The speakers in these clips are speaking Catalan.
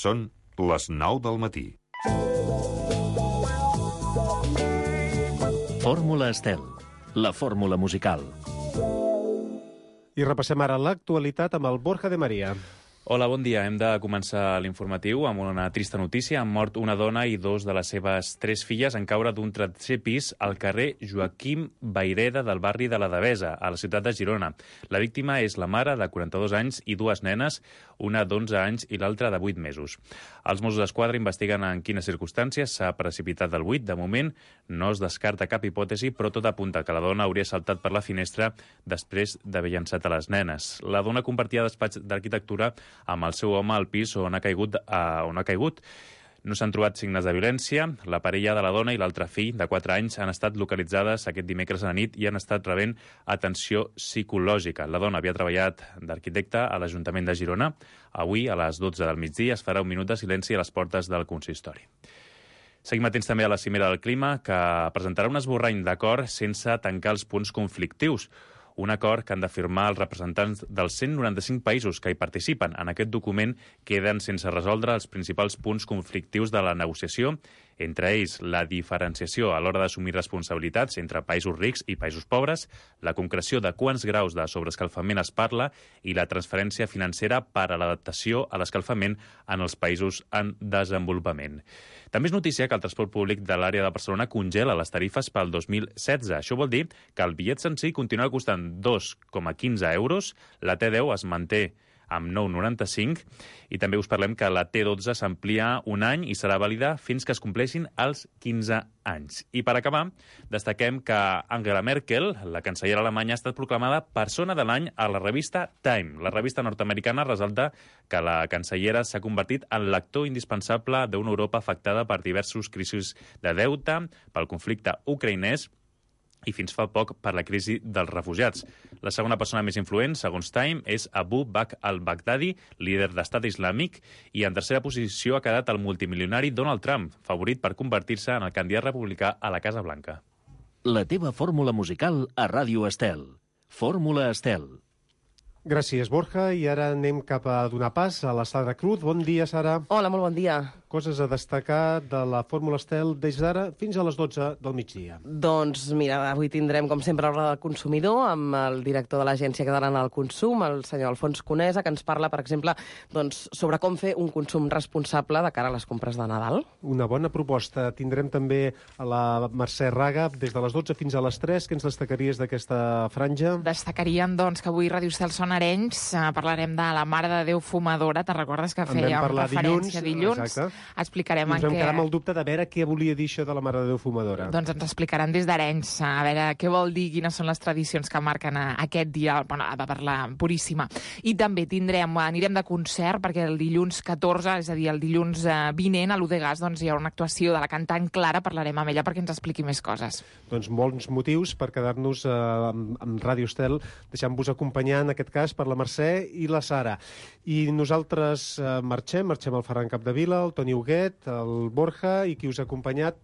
Són les 9 del matí. Fórmula Estel, la fórmula musical. I repassem ara l'actualitat amb el Borja de Maria. Hola, bon dia. Hem de començar l'informatiu amb una trista notícia. Han mort una dona i dos de les seves 3 filles en caure d'un tercer pis al carrer Joaquim Vayreda del barri de la Devesa, a la ciutat de Girona. La víctima és la mare de 42 anys i 2 nenes, una d'11 anys i l'altra de 8 mesos. Els Mossos d'Esquadra investiguen en quines circumstàncies s'ha precipitat del buit. De moment no es descarta cap hipòtesi, però tot apunta que la dona hauria saltat per la finestra després d'haver llançat a les nenes. La dona compartia despatx d'arquitectura amb el seu home al pis on ha caigut. No s'han trobat signes de violència. La parella de la dona i l'altre fill, de 4 anys, han estat localitzades aquest dimecres a la nit i han estat rebent atenció psicològica. La dona havia treballat d'arquitecte a l'Ajuntament de Girona. Avui, a les 12 del migdia, es farà un minut de silenci a les portes del consistori. Seguim atents també a la Cimera del Clima, que presentarà un esborrany d'acord sense tancar els punts conflictius. Un acord que han de firmar els representants dels 195 països que hi participen. En aquest document queden sense resoldre els principals punts conflictius de la negociació, entre ells la diferenciació a l'hora d'assumir responsabilitats entre països rics i països pobres, la concreció de quants graus de sobreescalfament es parla i la transferència financera per a l'adaptació a l'escalfament en els països en desenvolupament. També és notícia que el transport públic de l'àrea de Barcelona congela les tarifes pel 2016. Això vol dir que el bitllet senzill continua costant 2,15 euros, la T10 es manté amb 9,95 i també us parlem que la T12 s'amplia un any i serà vàlida fins que es compleixin els 15 anys. I per acabar, destaquem que Angela Merkel, la cancellera alemanya, ha estat proclamada persona de l'any a la revista Time. La revista nord-americana resalta que la cancellera s'ha convertit en l'actor indispensable d'una Europa afectada per diversos crisis de deute, pel conflicte ucraïnès i fins fa poc per la crisi dels refugiats. La segona persona més influent, segons Time, és Abu Bakr al-Baghdadi, líder d'estat islàmic, i en tercera posició ha quedat el multimilionari Donald Trump, favorit per convertir-se en el candidat republicà a la Casa Blanca. La teva fórmula musical a Ràdio Estel. Fórmula Estel. Gràcies, Borja. I ara anem cap a donar pas a la Sara Cruz. Bon dia, Sara. Hola, molt bon dia. Coses a destacar de la Fórmula Estel des d'ara fins a les 12 del migdia. Doncs mira, avui tindrem, com sempre, l'hora del consumidor amb el director de l'Agència Catalana del Consum, el senyor Alfons Conesa, que ens parla, per exemple, doncs, sobre com fer un consum responsable de cara a les compres de Nadal. Una bona proposta. Tindrem també a la Mercè Raga des de les 12 fins a les 3. Què ens destacaries d'aquesta franja? Destacaríem, doncs, que avui Ràdio Estel són Arenys. Parlarem de la Mare de Déu Fumadora. Te'n recordes que fèiem referència dilluns? Exacte. Explicarem ens vam quedar amb el dubte de veure què volia dir això de la Mare de Déu Fumadora. Doncs ens explicaran des d'Arenys, a veure què vol dir, quines són les tradicions que marquen aquest dia, bueno, per la Puríssima. I també anirem de concert, perquè el dilluns 14, és a dir, el dilluns vinent, a l'Udegas, doncs hi ha una actuació de la cantant Clara, parlarem amb ella perquè ens expliqui més coses. Doncs molts motius per quedar-nos amb Ràdio Estel, deixant-vos acompanyar, en aquest cas, per la Mercè i la Sara. I nosaltres marxem al Ferran Capdevila, el Toni Huguet, el Borja i qui us ha acompanyat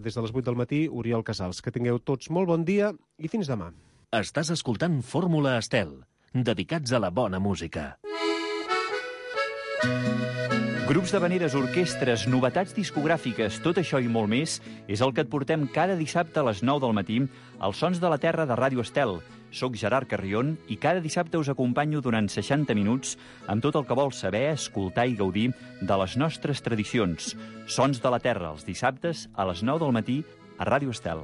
des de les 8 del matí, Oriol Casals. Que tingueu tots molt bon dia i fins demà. Estàs escoltant Fórmula Estel, dedicats a la bona música. Grups d'havaneres, orquestres, novetats discogràfiques, tot això i molt més és el que et portem cada dissabte a les 9 del matí als Sons de la Terra de Ràdio Estel. Soc Gerard Carrion i cada dissabte us acompanyo durant 60 minuts amb tot el que vols saber, escoltar i gaudir de les nostres tradicions. Sons de la Terra, els dissabtes a les 9 del matí a Ràdio Estel.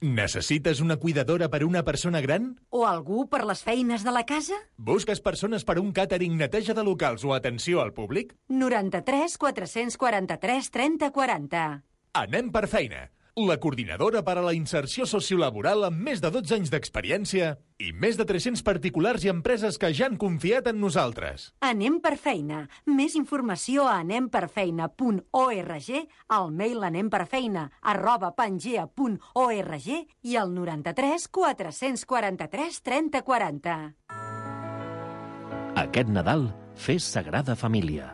Necessites una cuidadora per una persona gran? O algú per les feines de la casa? Busques persones per un càtering, neteja de locals o atenció al públic? 93 443 30 40. Anem per feina. La coordinadora per a la inserció sociolaboral amb més de 12 anys d'experiència i més de 300 particulars i empreses que ja han confiat en nosaltres. Anem per feina. Més informació a anemperfeina.org, al mail anemperfeina@pangea.org i al 93 443 30 40. Aquest Nadal, fes Sagrada Família.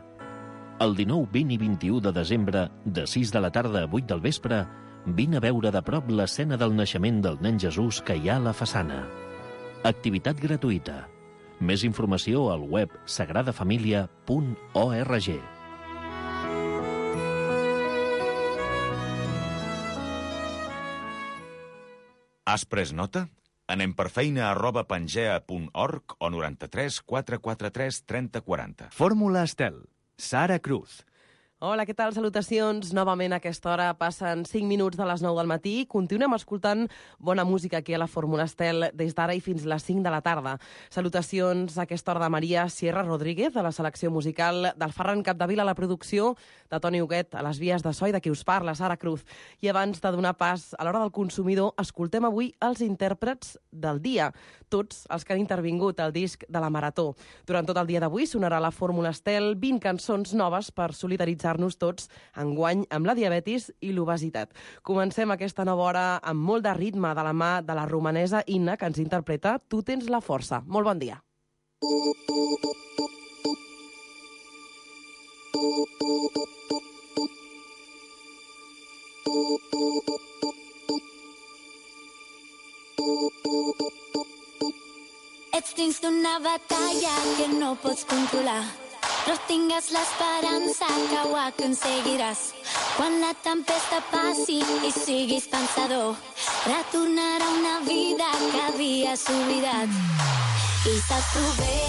El 19, 20 i 21 de desembre, de 6 de la tarda a 8 del vespre, vine a veure de prop l'escena del naixement del nen Jesús que hi ha a la façana. Activitat gratuïta. Més informació al web sagradafamilia.org. Has pres nota? Anem per feina@pangea.org o 93 443 30 40. Fórmula Estel. Sara Cruz. Hola, què tal? Salutacions. Novament a aquesta hora passen 5 minuts de les 9 del matí. Continuem escoltant bona música aquí a la Fórmula Estel des d'ara i fins les 5 de la tarda. Salutacions a aquesta hora de Maria Sierra Rodríguez, de la selecció musical, del Ferran Capdevila a la producció, de Toni Huguet a les vies de so i de qui us parla, Sara Cruz. I abans de donar pas a l'hora del consumidor, escoltem avui els intèrprets del dia, tots els que han intervingut al disc de la Marató. Durant tot el dia d'avui sonarà la Fórmula Estel 20 cançons noves per solidaritzar-nos tots enguany amb la diabetis i l'obesitat. Comencem aquesta nova hora amb molt de ritme de la mà de la romanesa Inna, que ens interpreta Tu tens la força. Molt bon dia. Ets dins d'una batalla que no pots controlar, però tingues l'esperança que ho aconseguiràs. Quan la tempesta passi i siguis pensador, retornarà una vida que havies oblidat. I saps tu bé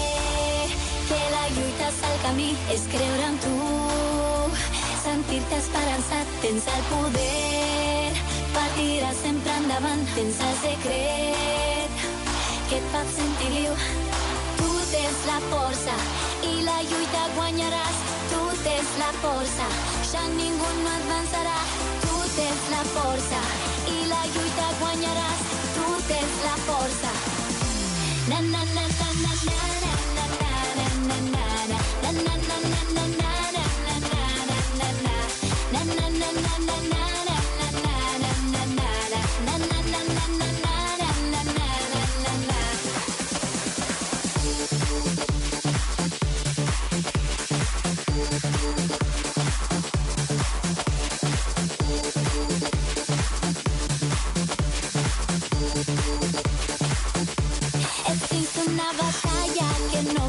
que la lluita és el camí, és creure en tu, sentir-te esperançat. Tens el poder per tirar sempre endavant, tens el secret que et fa sentir viu. Tu tens la força i la lluita guanyaràs. Tu tens la força, ja ningú no et vencerà. Tu tens la força i la lluita guanyaràs. Tu tens la força. Na na na na na na na na na na na na na na na na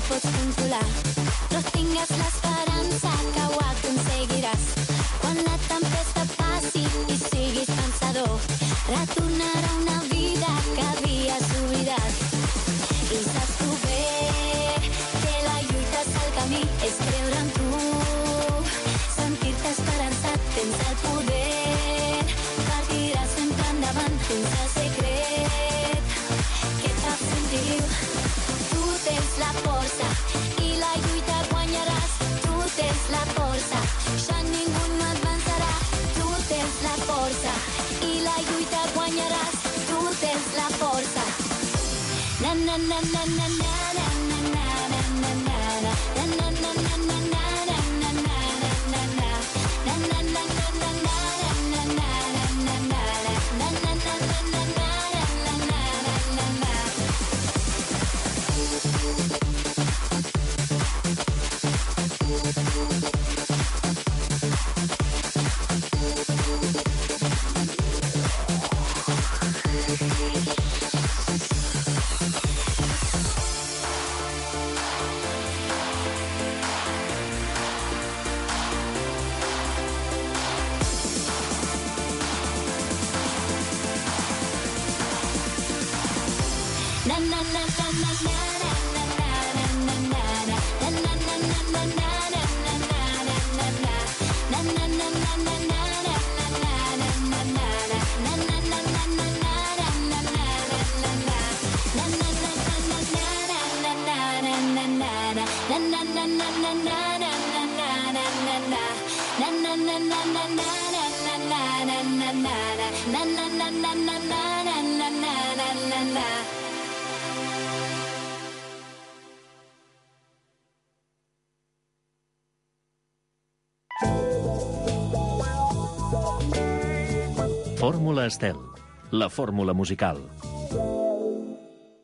pots controlar, però tingues l'esperança que ho aconseguiràs. Quan la tempesta passi i siguis pensador, retornarà una vida que havies oblidat. I saps tu bé que la lluita és el camí, és creure en tu, sentir-te esperançat. Tens el poder per tirar sempre endavant, tens el secret que et fa sentir viu. Tens la força i la lluita guanyaràs. Tu tens la força, ja ningú no et vencerà. Tu tens la força i la lluita guanyaràs. Tu tens la força. Na na na na na na na na na na na na na na na na na Fórmula Estel, la fórmula musical.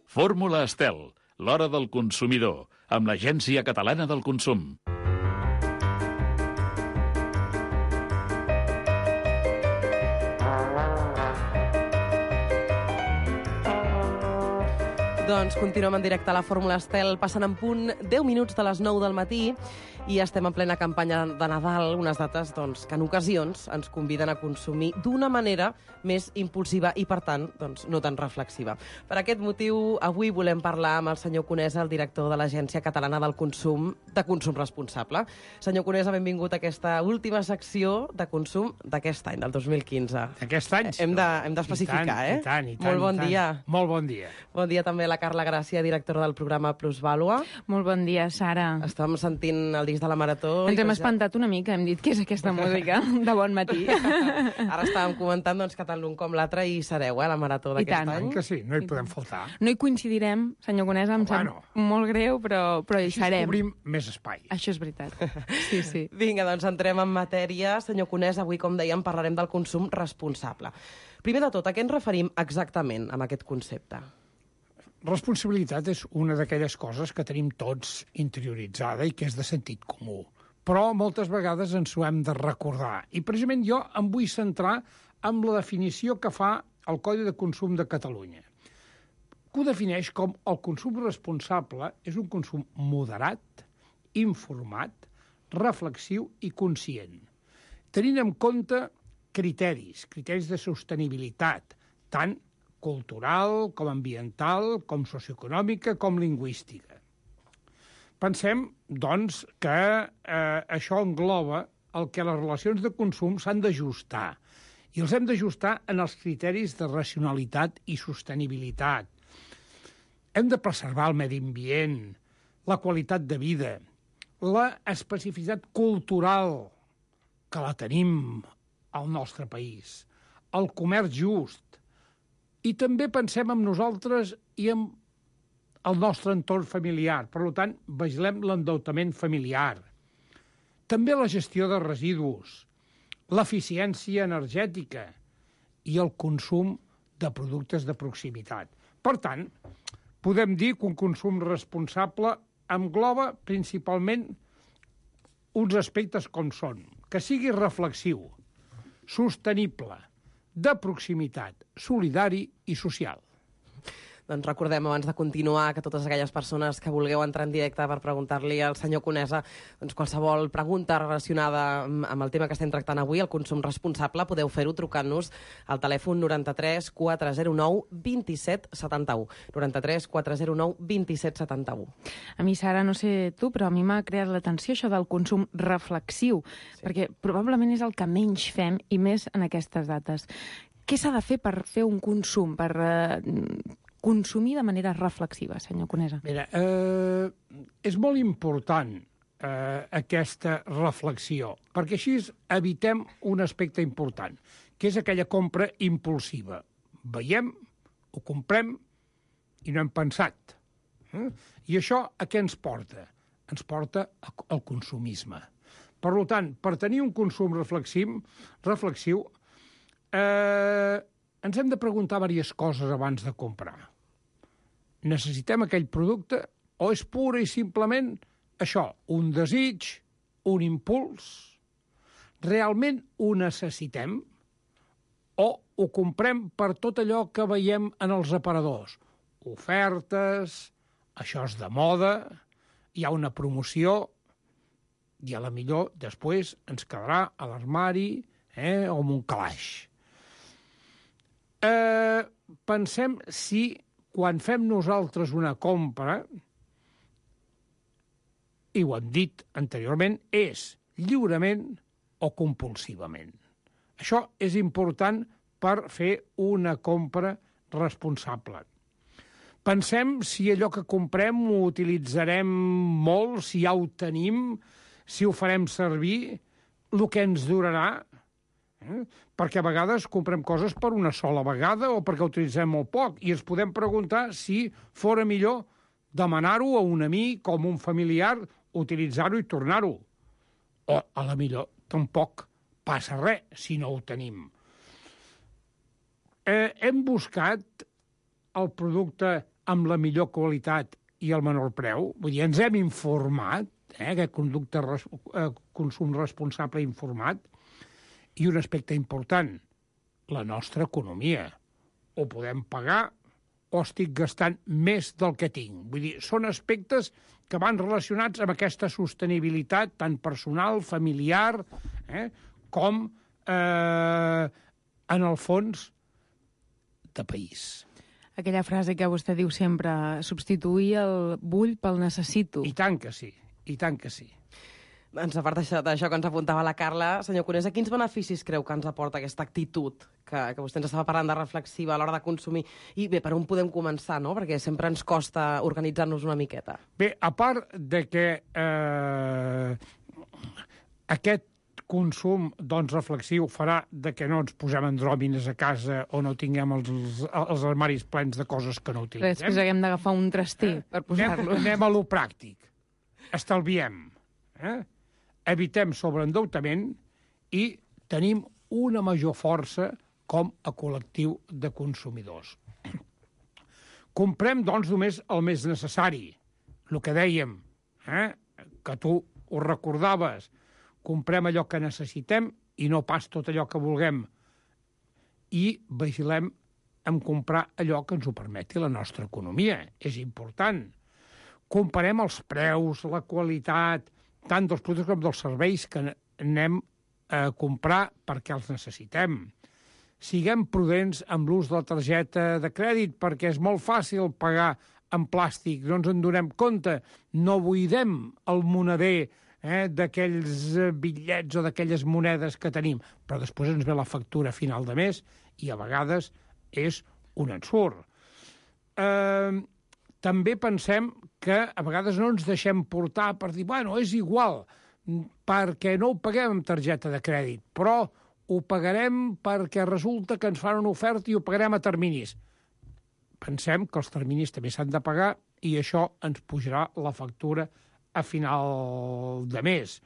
Fórmula Estel, l'hora del consumidor, amb l'Agència Catalana del Consum. Doncs continuem en directe a la Fórmula Estel, passant en punt 10 minuts de les 9 del matí i estem en plena campanya de Nadal, unes dates doncs, que en ocasions ens conviden a consumir d'una manera més impulsiva i, per tant, doncs, no tan reflexiva. Per aquest motiu, avui volem parlar amb el senyor Conesa, el director de l'Agència Catalana del Consum, de Consum Responsable. Senyor Conesa, benvingut a aquesta última secció de consum d'aquest any, del 2015. D'aquest any? Hem d'especificar, I tant. Molt bon dia. Molt bon dia. Bon dia també a la Carla Gràcia, directora del programa Plusvàlua. Molt bon dia, Sara. Estàvem sentint el disc de la Marató. Ens hem espantat una mica, hem dit, què és aquesta música de bon matí? Ara estàvem comentant doncs, que tant l'un com l'altre hi sereu, a la Marató d'aquest any. Que sí, no hi podem faltar. No hi coincidirem, senyor Conesa, em sap molt greu, però hi serem. Així cobrim més espai. Això és veritat. Sí, sí. Vinga, doncs entrem en matèria. Senyor Conesa, avui, com dèiem, parlarem del consum responsable. Primer de tot, a què ens referim exactament amb aquest concepte? Responsabilitat és una d'aquelles coses que tenim tots interioritzada i que és de sentit comú. Però moltes vegades ens ho hem de recordar. I precisament jo em vull centrar en la definició que fa el Codi de Consum de Catalunya, que ho defineix com el consum responsable és un consum moderat, informat, reflexiu i conscient, tenint en compte criteris de sostenibilitat, tant cultural, com ambiental, com socioeconòmica, com lingüística. Pensem, doncs, que això engloba el que les relacions de consum s'han d'ajustar, i els hem d'ajustar en els criteris de racionalitat i sostenibilitat. Hem de preservar el medi ambient, la qualitat de vida, la especificitat cultural, que la tenim al nostre país, el comerç just, i també pensem en nosaltres i en el nostre entorn familiar. Per tant, vigilem l'endeutament familiar. També la gestió de residus, l'eficiència energètica i el consum de productes de proximitat. Per tant, podem dir que un consum responsable engloba principalment uns aspectes com són que sigui reflexiu, sostenible, de proximitat, solidari i social. Doncs recordem, abans de continuar, que totes aquelles persones que vulgueu entrar en directe per preguntar-li al senyor Conesa doncs qualsevol pregunta relacionada amb el tema que estem tractant avui, el consum responsable, podeu fer-ho trucant-nos al telèfon 93 409 27 71. 93 409 27 71. A mi, Sara, no sé tu, però a mi m'ha creat l'atenció això del consum reflexiu, perquè probablement és el que menys fem, i més en aquestes dates. Què s'ha de fer per fer un consum, per consumir de manera reflexiva, senyor Conesa? Mira, és molt important aquesta reflexió, perquè així evitem un aspecte important, que és aquella compra impulsiva. Veiem, ho comprem i no hem pensat. I això a què ens porta? Ens porta al consumisme. Per tant, per tenir un consum reflexiu, ens hem de preguntar diverses coses abans de comprar. Necessitem aquell producte o és pura i simplement això, un desig, un impuls? Realment ho necessitem o ho comprem per tot allò que veiem en els aparadors? Ofertes, això és de moda, hi ha una promoció i a la millor després ens quedarà a l'armari o en un calaix. Pensem si quan fem nosaltres una compra, i ho hem dit anteriorment, és lliurement o compulsivament. Això és important per fer una compra responsable. Pensem si allò que comprem ho utilitzarem molt, si ja ho tenim, si ho farem servir, el que ens durarà. Perquè a vegades comprem coses per una sola vegada o perquè utilitzem molt poc i ens podem preguntar si fora millor demanar-ho a un amic o a un familiar, utilitzar-ho i tornar-ho. O a la millor tampoc passa res si no ho tenim. Hem buscat el producte amb la millor qualitat i el menor preu, vull dir, ens hem informat, aquest conducte consum responsable informat. I un aspecte important, la nostra economia. Ho podem pagar o estic gastant més del que tinc? Vull dir, són aspectes que van relacionats amb aquesta sostenibilitat tant personal, familiar, com, en el fons, de país. Aquella frase que vostè diu sempre, substituir el vull pel necessito. I tant que sí, i tant que sí. A part d'això que ens apuntava la Carla, senyor Conesa, quins beneficis creu que ens aporta aquesta actitud que vostè ens estava parlant de reflexiva a l'hora de consumir? I bé, per on podem començar, no? Perquè sempre ens costa organitzar-nos una miqueta. Bé, a part de que aquest consum reflexiu farà de que no ens posem andròmines a casa o no tinguem els armaris plens de coses que no utilitzem. Després haguem d'agafar un traster per posar-lo. Anem a lo pràctic. Estalviem. Evitem sobreendeutament i tenim una major força com a col·lectiu de consumidors. Comprem, doncs, només el més necessari. El que dèiem, que tu ho recordaves, comprem allò que necessitem i no pas tot allò que vulguem. I vigilem en comprar allò que ens ho permeti la nostra economia. És important. Comparem els preus, la qualitat, tant dels productes com dels serveis que anem a comprar perquè els necessitem. Siguem prudents amb l'ús de la targeta de crèdit perquè és molt fàcil pagar en plàstic, no ens en donem compte, no buidem el moneder d'aquells bitllets o d'aquelles monedes que tenim, però després ens ve la factura final de mes i a vegades és un ensurt. També pensem que a vegades no ens deixem portar per dir, bueno, és igual, perquè no ho paguem amb targeta de crèdit, però ho pagarem perquè resulta que ens fan una oferta i ho pagarem a terminis. Pensem que els terminis també s'han de pagar i això ens pujarà la factura a final de mes.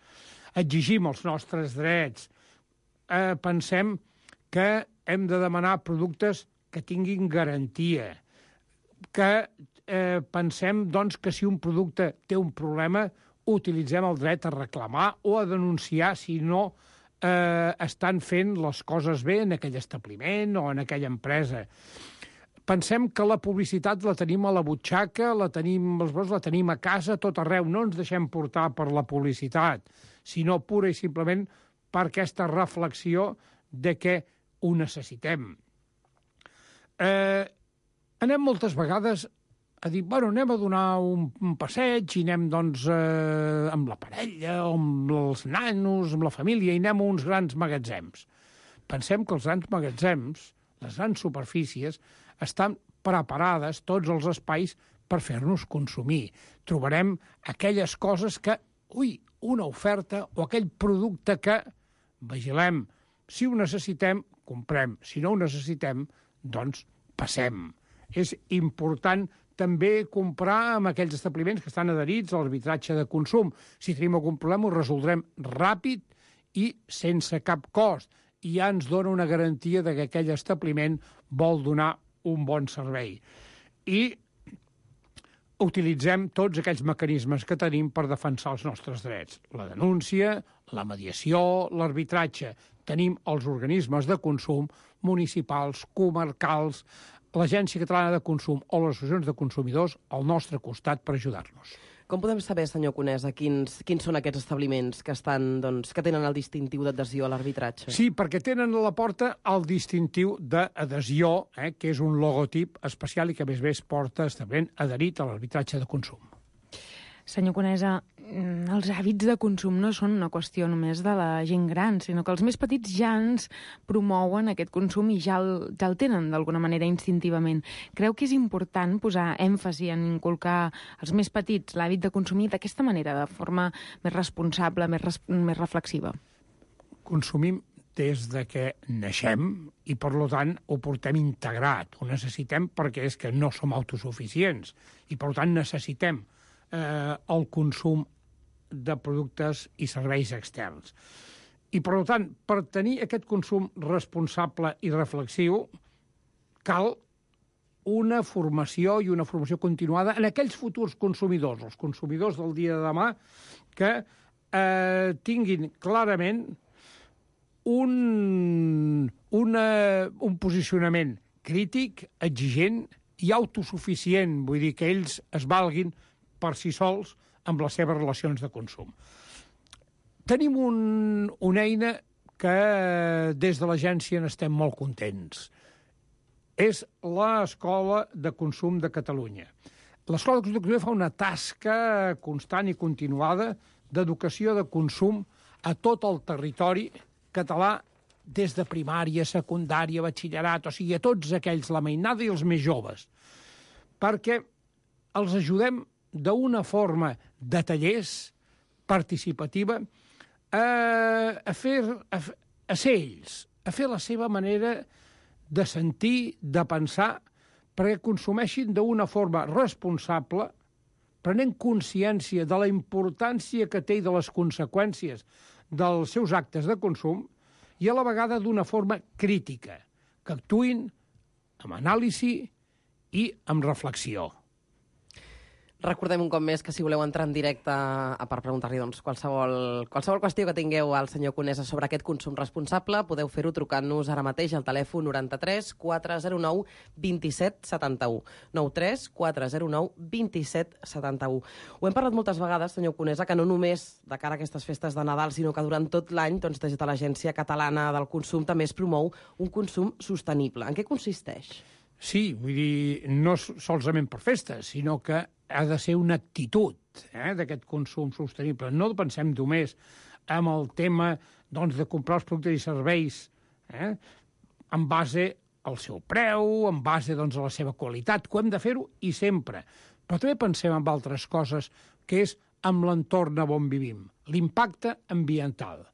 Exigim els nostres drets. Pensem que hem de demanar productes que tinguin garantia, que pensem, doncs, que si un producte té un problema, utilitzem el dret a reclamar o a denunciar si no estan fent les coses bé en aquell establiment o en aquella empresa. Pensem que la publicitat la tenim a la butxaca, la tenim a casa, tot arreu. No ens deixem portar per la publicitat, sinó pura i simplement per aquesta reflexió de que ho necessitem. Anem moltes vegades a dir, bueno, anem a donar un passeig i anem, doncs, amb la parella, o amb els nanos, amb la família, i anem a uns grans magatzems. Pensem que els grans magatzems, les grans superfícies, estan preparades tots els espais per fer-nos consumir. Trobarem aquelles coses que, una oferta o aquell producte que vigilem. Si ho necessitem, comprem. Si no ho necessitem, doncs passem. És important també comprar amb aquells establiments que estan adherits a l'arbitratge de consum. Si tenim algun problema, ho resoldrem ràpid i sense cap cost. I ja ens dona una garantia de que aquell establiment vol donar un bon servei. I utilitzem tots aquells mecanismes que tenim per defensar els nostres drets. La denúncia, la mediació, l'arbitratge. Tenim els organismes de consum municipals, comarcals, l'Agència Catalana de Consum o les associacions de consumidors al nostre costat per ajudar-nos. Com podem saber, senyor Conesa, quins són aquests establiments que que tenen el distintiu d'adhesió a l'arbitratge? Sí, perquè tenen a la porta el distintiu d'adhesió, que és un logotip especial i que, a més a més, porta establiment adherit a l'arbitratge de consum. Senyor Conesa, els hàbits de consum no són una qüestió només de la gent gran, sinó que els més petits ja ens promouen aquest consum i ja el tenen d'alguna manera instintivament. Creu que és important posar èmfasi en inculcar als més petits l'hàbit de consumir d'aquesta manera, de forma més responsable, més reflexiva? Consumim des de que naixem i, per tant, ho portem integrat. Ho necessitem perquè és que no som autosuficients i, per tant, necessitem el consum de productes i serveis externs. I, per tant, per tenir aquest consum responsable i reflexiu, cal una formació i una formació continuada en aquells futurs consumidors, els consumidors del dia de demà, que tinguin clarament un posicionament crític, exigent i autosuficient, vull dir que ells es valguin per si sols amb les seves relacions de consum. Tenim una eina que des de l'agència n'estem molt contents. És l'Escola de Consum de Catalunya. L'Escola de Consum de Catalunya fa una tasca constant i continuada d'educació de consum a tot el territori català, des de primària, secundària, batxillerat, o sigui, a tots aquells, la mainada i els més joves, perquè els ajudem d'una forma de tallers participativa a ser ells, a fer la seva manera de sentir, de pensar, perquè consumeixin d'una forma responsable, prenent consciència de la importància que té i de les conseqüències dels seus actes de consum, i a la vegada d'una forma crítica, que actuïn amb anàlisi i amb reflexió. Recordem un cop més que si voleu entrar en directe per preguntar-li qualsevol qüestió que tingueu al senyor Conesa sobre aquest consum responsable, podeu fer-ho trucant-nos ara mateix al telèfon 93 409 27 71. 93 409 27 71. Ho hem parlat moltes vegades, senyor Conesa, que no només de cara a aquestes festes de Nadal, sinó que durant tot l'any, des de l'Agència Catalana del Consum també es promou un consum sostenible. En què consisteix? Sí, vull dir, no solament per festes, sinó que ha de ser una actitud d'aquest consum sostenible. No pensem només en el tema de comprar els productes i serveis en base al seu preu, en base a la seva qualitat, que hem de fer-ho i sempre. Però també pensem en altres coses, que és amb l'entorn on vivim, l'impacte ambiental.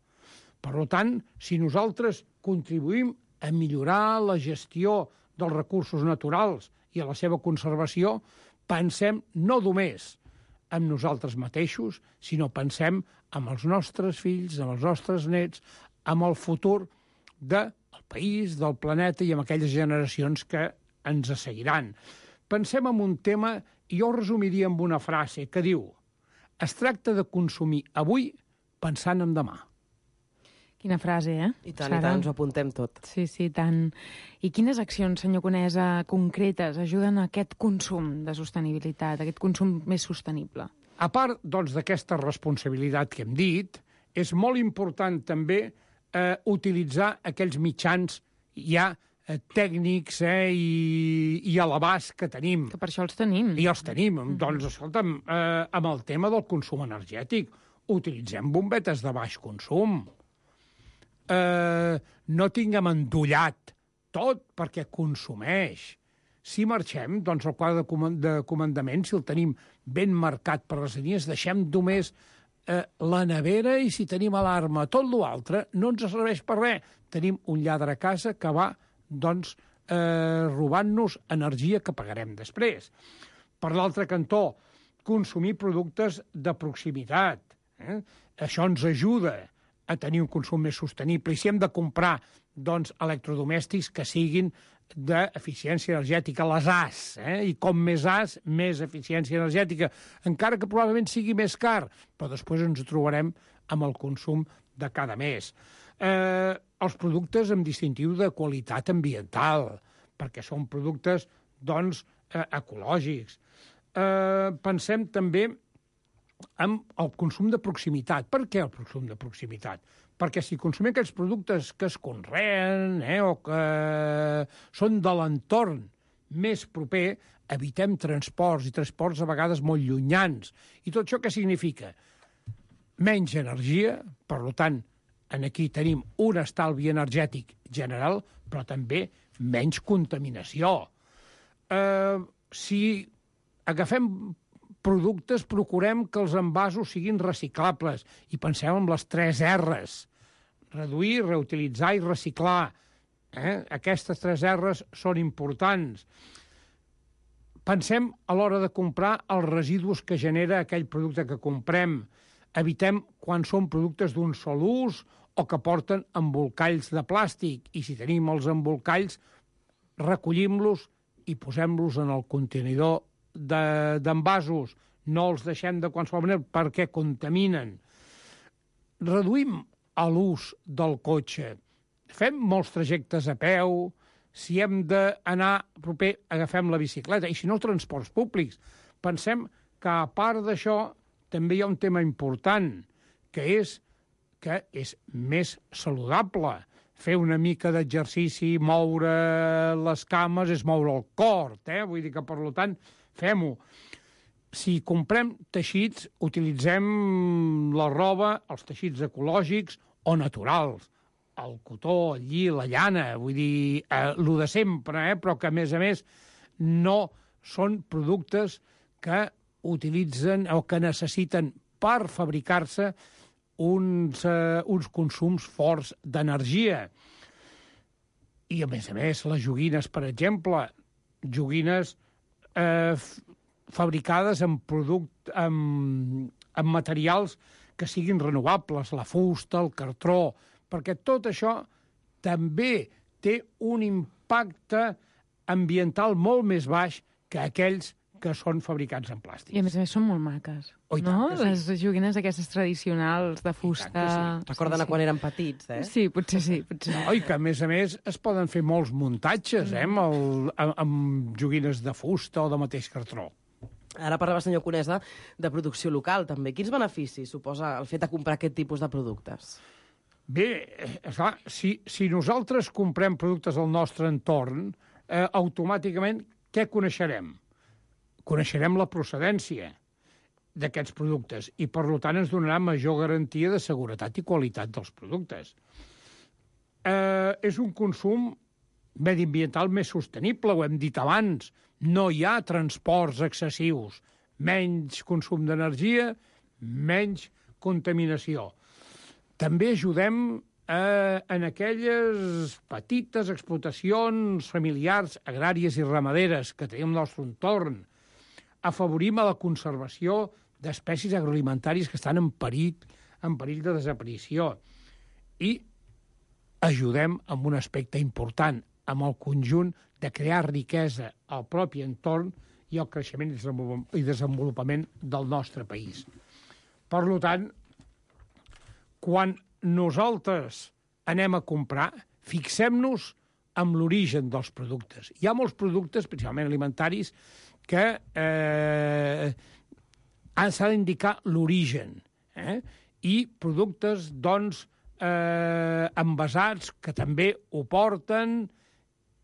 Per tant, si nosaltres contribuïm a millorar la gestió dels recursos naturals i a la seva conservació, pensem no només en nosaltres mateixos, sinó pensem en els nostres fills, en els nostres nets, en el futur del país, del planeta i en aquelles generacions que ens seguiran. Pensem en un tema, i jo ho resumiria amb una frase que diu: es tracta de consumir avui pensant en demà. Quina frase, eh? I tant, ens ho apuntem tot. Sí, tant. I quines accions, senyor Conesa, concretes ajuden a aquest consum de sostenibilitat, aquest consum més sostenible? A part, d'aquesta responsabilitat que hem dit, és molt important també utilitzar aquells mitjans ja tècnics i a l'abast que tenim. Que per això els tenim. I els tenim. Doncs, escolta'm, amb el tema del consum energètic, utilitzem bombetes de baix consum. No tinguem endollat tot perquè consumeix. Si marxem, el quadre de comandament, si el tenim ben marcat per les línies, deixem només la nevera i si tenim alarma. Tot l'altre no ens serveix per res. Tenim un lladre a casa que va, robant-nos energia que pagarem després. Per l'altre cantó, consumir productes de proximitat. Això ens ajuda a tenir un consum més sostenible. I si hem de comprar, electrodomèstics que siguin d'eficiència energètica, les AS, i com més AS, més eficiència energètica, encara que probablement sigui més car, però després ens trobarem amb el consum de cada mes. Els productes amb distintiu de qualitat ambiental, perquè són productes, ecològics. Pensem també amb el consum de proximitat. Per què el consum de proximitat? Perquè si consumim aquells productes que es conreen o que són de l'entorn més proper, evitem transports, i transports a vegades molt llunyans. I tot això què significa? Menys energia, per tant, aquí tenim un estalvi energètic general, però també menys contaminació. Si agafem productes, procurem que els envasos siguin reciclables i pensem en les 3 R's. Reduir, reutilitzar i reciclar. Aquestes 3 R's són importants. Pensem a l'hora de comprar els residus que genera aquell producte que comprem. Evitem quan són productes d'un sol ús o que porten embolcalls de plàstic. I si tenim els embolcalls, recollim-los i posem-los en el contenidor d'envasos. No els deixem de qualsevol manera perquè contaminen. Reduïm l'ús del cotxe. Fem molts trajectes a peu. Si hem d'anar proper, agafem la bicicleta. I si no, transports públics. Pensem que, a part d'això, també hi ha un tema important, que és més saludable. Fer una mica d'exercici, moure les cames, és moure el cor, Vull dir que, per tant, fem-ho. Si comprem teixits, utilitzem la roba, els teixits ecològics o naturals. El cotó, el lli, la llana, vull dir, el de sempre, però que, a més, no són productes que utilitzen o que necessiten per fabricar-se uns consums forts d'energia. I, a més, les joguines, per exemple, joguines fabricades amb materials que siguin renovables, la fusta, el cartró, perquè tot això també té un impacte ambiental molt més baix que aquells que són fabricats en plàstic. I, a més, són molt maques, no? Les joguines aquestes tradicionals de fusta... Recorden quan eren petits, Sí, potser sí. No, i que, a més, es poden fer molts muntatges, amb joguines de fusta o de mateix cartró. Ara parlava, senyor Conesa, de producció local, també. Quins beneficis suposa el fet de comprar aquest tipus de productes? Bé, esclar, si nosaltres comprem productes del nostre entorn, automàticament què coneixerem? Coneixerem la procedència d'aquests productes i, per tant, ens donarà major garantia de seguretat i qualitat dels productes. És un consum mediambiental més sostenible, ho hem dit abans. No hi ha transports excessius, menys consum d'energia, menys contaminació. També ajudem en aquelles petites explotacions familiars, agràries i ramaderes que tenim al nostre entorn. Afavorim a la conservació d'espècies agroalimentàries que estan en perill de desaparició. I ajudem amb un aspecte important, amb el conjunt de crear riquesa al propi entorn i al creixement i desenvolupament del nostre país. Per tant, quan nosaltres anem a comprar, fixem-nos en l'origen dels productes. Hi ha molts productes, principalment alimentaris, que s'ha d'indicar l'origen. I productes, doncs, envasats, que també ho porten.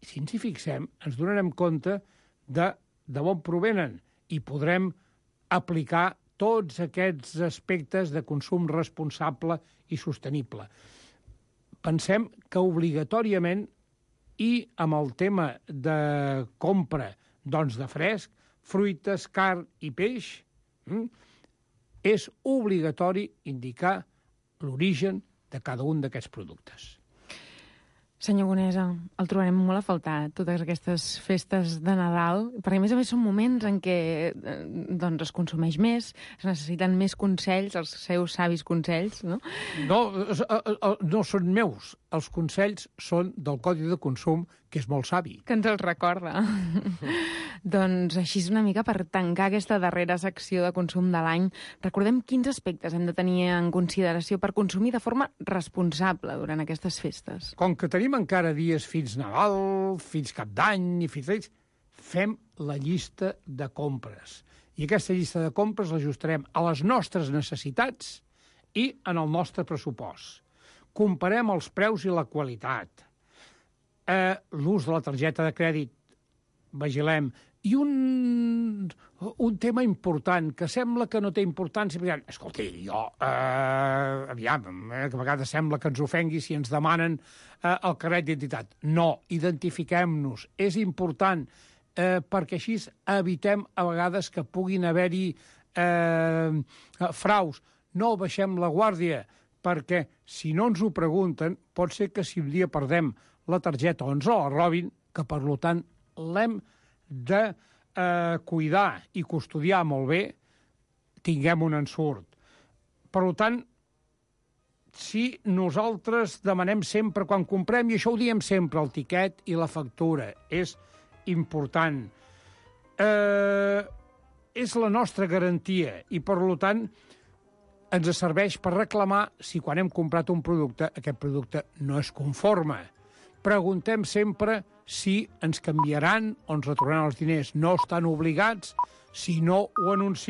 Si ens hi fixem, ens donarem compte de on provenen i podrem aplicar tots aquests aspectes de consum responsable i sostenible. Pensem que obligatòriament, i amb el tema de compra de fresc, fruites, carn i peix, és obligatori indicar l'origen de cada un d'aquests productes. Senyor Conesa, el trobarem molt a faltar, totes aquestes festes de Nadal, perquè a més són moments en què es consumeix més, es necessiten més consells, els seus savis consells, no? No són meus, els consells són del Codi de Consum, que és molt savi. Que ens els recorda. Doncs així és una mica per tancar aquesta darrera secció de consum de l'any. Recordem quins aspectes hem de tenir en consideració per consumir de forma responsable durant aquestes festes. Com que tenim encara dies fins Nadal, fins Cap d'Any i fins ells, fem la llista de compres. I aquesta llista de compres l'ajustarem a les nostres necessitats i en el nostre pressupost. Comparem els preus i la qualitat. L'ús de la targeta de crèdit, vigilem. I un tema important, que sembla que no té importància, perquè, escolti, aviam, que a vegades sembla que ens ofengui si ens demanen el carnet d'identitat. No, identifiquem-nos. És important, perquè així evitem a vegades que puguin haver-hi fraus. No baixem la guàrdia, perquè si no ens ho pregunten, pot ser que si un dia perdem la targeta o ens la robin, que per tant l'hem de cuidar i custodiar molt bé, tinguem un ensurt. Per tant, si nosaltres demanem sempre, quan comprem, i això ho diem sempre, el tiquet i la factura, és important. És la nostra garantia i, per tant, ens serveix per reclamar si quan hem comprat un producte, aquest producte no és conforme. preguntem sempre si ens canviaran o ens retornaran els diners. No estan obligats, si no ho anuncien